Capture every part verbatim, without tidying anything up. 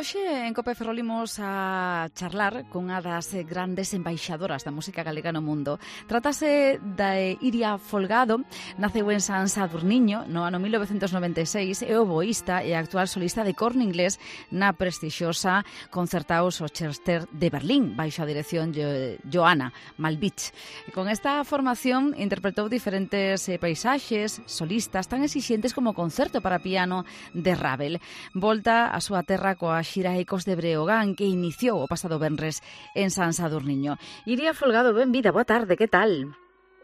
Hoxe en Cope Ferrol imos a charlar cunha das grandes embaixadoras da música galega no mundo. Trátase da Iria Folgado, naceu en San Sadurniño no ano mil novecentos noventa e seis, é oboísta e actual solista de corno inglés na prestixiosa Concerthaus Orchester de Berlín, baixo a dirección de Johanna Malvich. E con esta formación interpretou diferentes eh, paisaxes solistas tan exixentes como o concerto para piano de Ravel. Volta a súa terra coa xira Ecos de Breogán, que iniciou o pasado venres en San Sadurniño. Iria Folgado, benvida, boa tarde, que tal?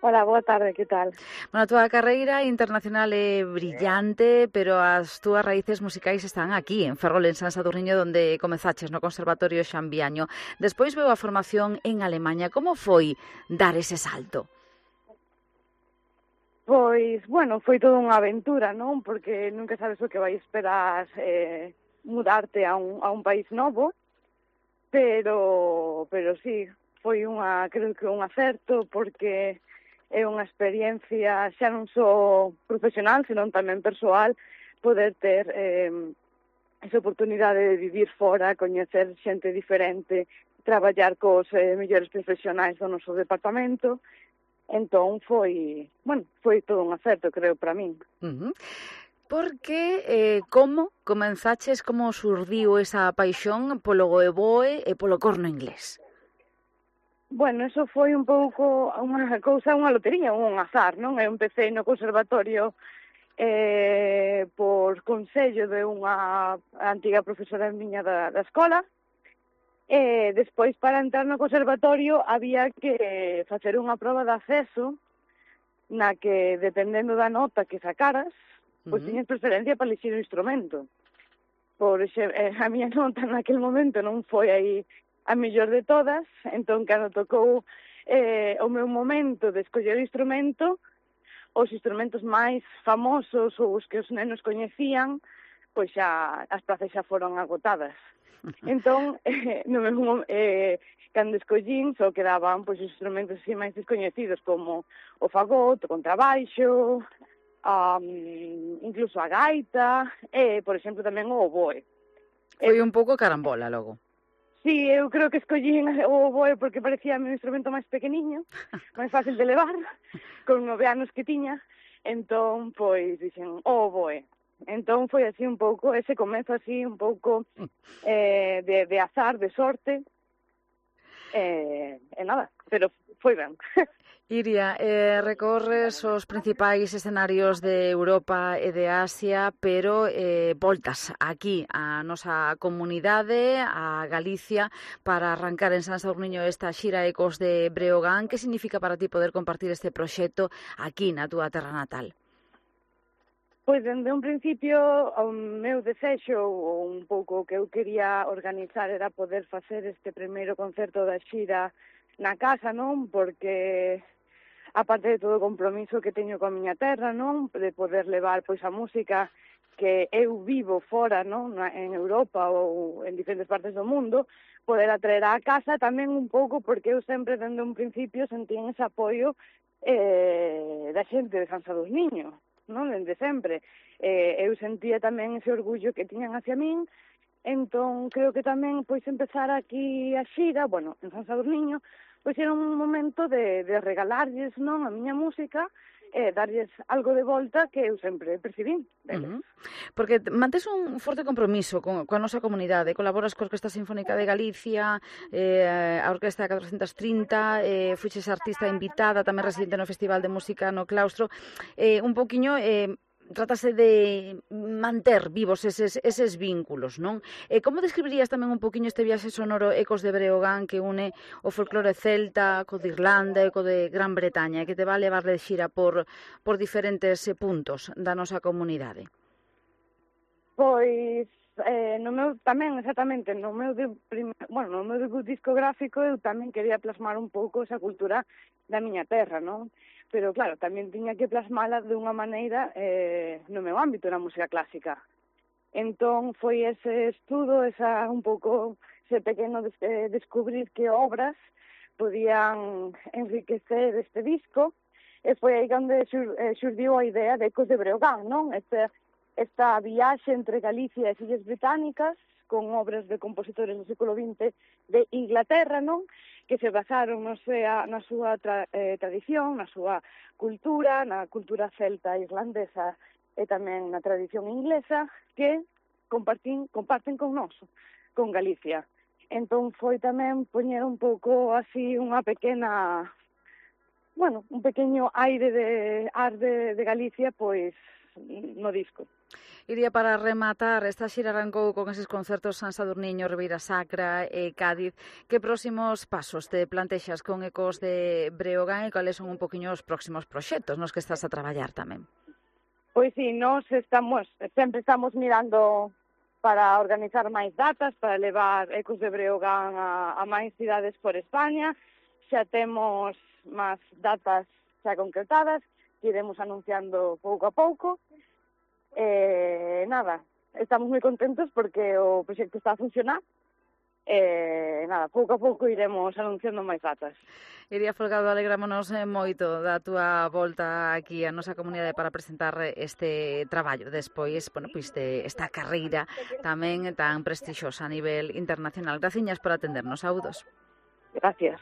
Hola, boa tarde, que tal? Bueno, a túa carreira internacional é brillante, pero as túas raíces musicais están aquí, en Ferrol, en San Sadurniño, onde comezaches no Conservatorio Xambiaño. Despois veu a formación en Alemanha. Como foi dar ese salto? Pois, bueno, foi toda unha aventura, non? Porque nunca sabes o que vai esperar eh, mudarte a un, a un país novo, pero, pero sí, foi unha, creo que un acerto, porque é unha experiencia xa non só profesional, senón tamén persoal, poder ter eh, esa oportunidade de vivir fora, coñecer xente diferente, traballar cos eh, mellores profesionais do noso departamento. Entón foi, bueno, foi todo un acerto, creo, para min. Uh-huh. Porque, eh, como comenzaches, como surdiu esa paixón polo oboe e polo corno inglés? Bueno, eso foi un pouco unha cousa, unha lotería, un azar, non? Eu empecé no conservatorio eh, por consello de unha antiga profesora miña da, da escola. E despois, para entrar no conservatorio, había que facer unha proba de acceso na que, dependendo da nota que sacaras, pois uh-huh. tiñas preferencia para elixir o instrumento. Por exemplo, a miña nota naquele momento non foi aí a mellor de todas, entón, cando tocou eh, o meu momento de escoller o instrumento, os instrumentos máis famosos ou os que os nenos coñecían, pois xa as plazas xa foron agotadas. Entón, eh, no mesmo, eh, cando escollín, só quedaban pois, os instrumentos así máis descoñecidos, como o fagot, o contrabaixo, um, incluso a gaita, e, por exemplo, tamén o oboe. Foi un pouco carambola, logo. Sí, eu creo que escollín o oboe porque parecía o instrumento máis pequeniño, máis fácil de levar, con nove anos que tiña, entón, pois, dixen, o oboe. Entón foi así un pouco, ese comezo así un pouco eh, de, de azar, de sorte, eh, e nada, pero foi ben. Iria, eh, recorres os principais escenarios de Europa e de Asia, pero eh, voltas aquí a nosa comunidade, a Galicia, para arrancar en San Sadurniño esta xira Ecos de Breogán. Que significa para ti poder compartir este proxecto aquí na túa terra natal? Pois, dende un principio, o meu desexo, ou un pouco que eu quería organizar, era poder facer este primeiro concerto da xira na casa, non? Porque, aparte de todo o compromiso que teño coa miña terra, non? De poder levar, pois, a música que eu vivo fora, non? En Europa ou en diferentes partes do mundo, poder atraer á casa tamén un pouco, porque eu sempre, dende un principio, sentín ese apoio eh, da xente de San Sadurniño, non? Dende sempre. Eh, eu sentía tamén ese orgullo que tiñan hacia min, entón creo que tamén pois empezar aquí a xira, bueno, en San Sadurniño, pois era un momento de, de regalarlles, non, a miña música, e eh, darlles algo de volta que eu sempre percibín. Uh-huh. Porque mantes un forte compromiso con, coa nosa comunidade, colaboras coa Orquesta Sinfónica de Galicia, eh, a Orquesta catrocentos trinta, eh, fuches artista invitada, tamén residente no Festival de Música no Claustro, eh, un poquinho... Eh, trátase de manter vivos eses, eses vínculos, non? E como describirías tamén un poquinho este viaxe sonoro Ecos de Breogán que une o folclore celta co de Irlanda e co de Gran Bretaña e que te va a levar de xira por, por diferentes puntos da nosa comunidade? Pois, eh, no meu tamén, exactamente, no meu, de, bueno, no meu debut discográfico eu tamén quería plasmar un pouco esa cultura da miña terra, non? Pero, claro, tamén tiña que plasmala de unha maneira eh, no meu ámbito, na música clásica. Entón, foi ese estudo, esa un pouco, ese pequeno des, eh, descubrir que obras podían enriquecer este disco, e foi aí onde xur, eh, xurdiu a idea de Ecos de Breogán, non? Este, esta viaxe entre Galicia e as Illas Británicas, con obras de compositores do século vinte de Inglaterra, non? Que se basaron no sea, na súa tra, eh, tradición, na súa cultura, na cultura celta e irlandesa e tamén na tradición inglesa, que compartín, comparten con nós, con Galicia. Entón foi tamén poñer un pouco así unha pequena, bueno, un pequeño aire de ar de, de Galicia, pois, no disco. Iría, para rematar, esta xira arrancou con eses concertos San Sadurniño, Ribeira Sacra e Cádiz. Que próximos pasos te plantexas con Ecos de Breogán e cales son un poquinho os próximos proxectos nos que estás a traballar tamén? Pois sí, nós estamos, sempre estamos mirando para organizar máis datas, para levar Ecos de Breogán a, a máis cidades por España. Xa temos máis datas xa concretadas, que iremos anunciando pouco a pouco. Eh, nada, estamos moi contentos porque o proxecto está a funcionar. Eh, nada, pouco a pouco iremos anunciando máis datas. Iria Folgado, alegrámonos moito da túa volta aquí a nosa comunidade para presentar este traballo despois, bueno, pois de esta carreira tamén tan prestixiosa a nivel internacional. Graciñas por atendernos, saúdos. Gracias.